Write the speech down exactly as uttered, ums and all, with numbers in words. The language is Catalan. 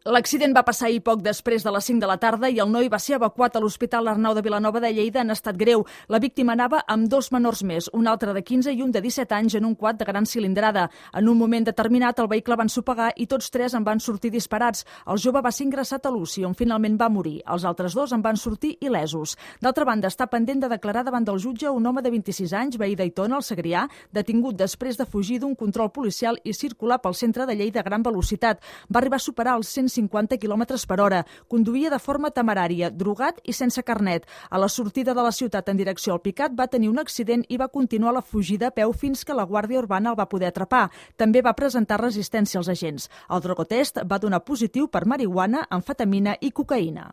L'accident va passar ahir poc després de les cinc de la tarda i el noi va ser evacuat a l'Hospital Arnau de Vilanova de Lleida en estat greu. La víctima anava amb dos menors més, un altre de quinze i un de disset anys en un quad de gran cilindrada. En un moment determinat el vehicle va ensopegar i tots tres en van sortir disparats. El jove va ser ingressat a l'U C I, on finalment va morir. Els altres dos en van sortir il·lesos. D'altra banda, està pendent de declarar davant del jutge un home de vint-i-sis anys, veí d'Aitona, al Segrià, detingut després de fugir d'un control policial i circular pel centre de Lleida a gran velocitat. Va arribar a superar els cent cinquanta quilòmetres per hora. Conduïa de forma temerària, drogat i sense carnet. A la sortida de la ciutat en direcció al Picat va tenir un accident i va continuar la fugida a peu fins que la Guàrdia Urbana el va poder atrapar. També va presentar resistència als agents. El drogotest va donar positiu per marihuana, amfetamina i cocaïna.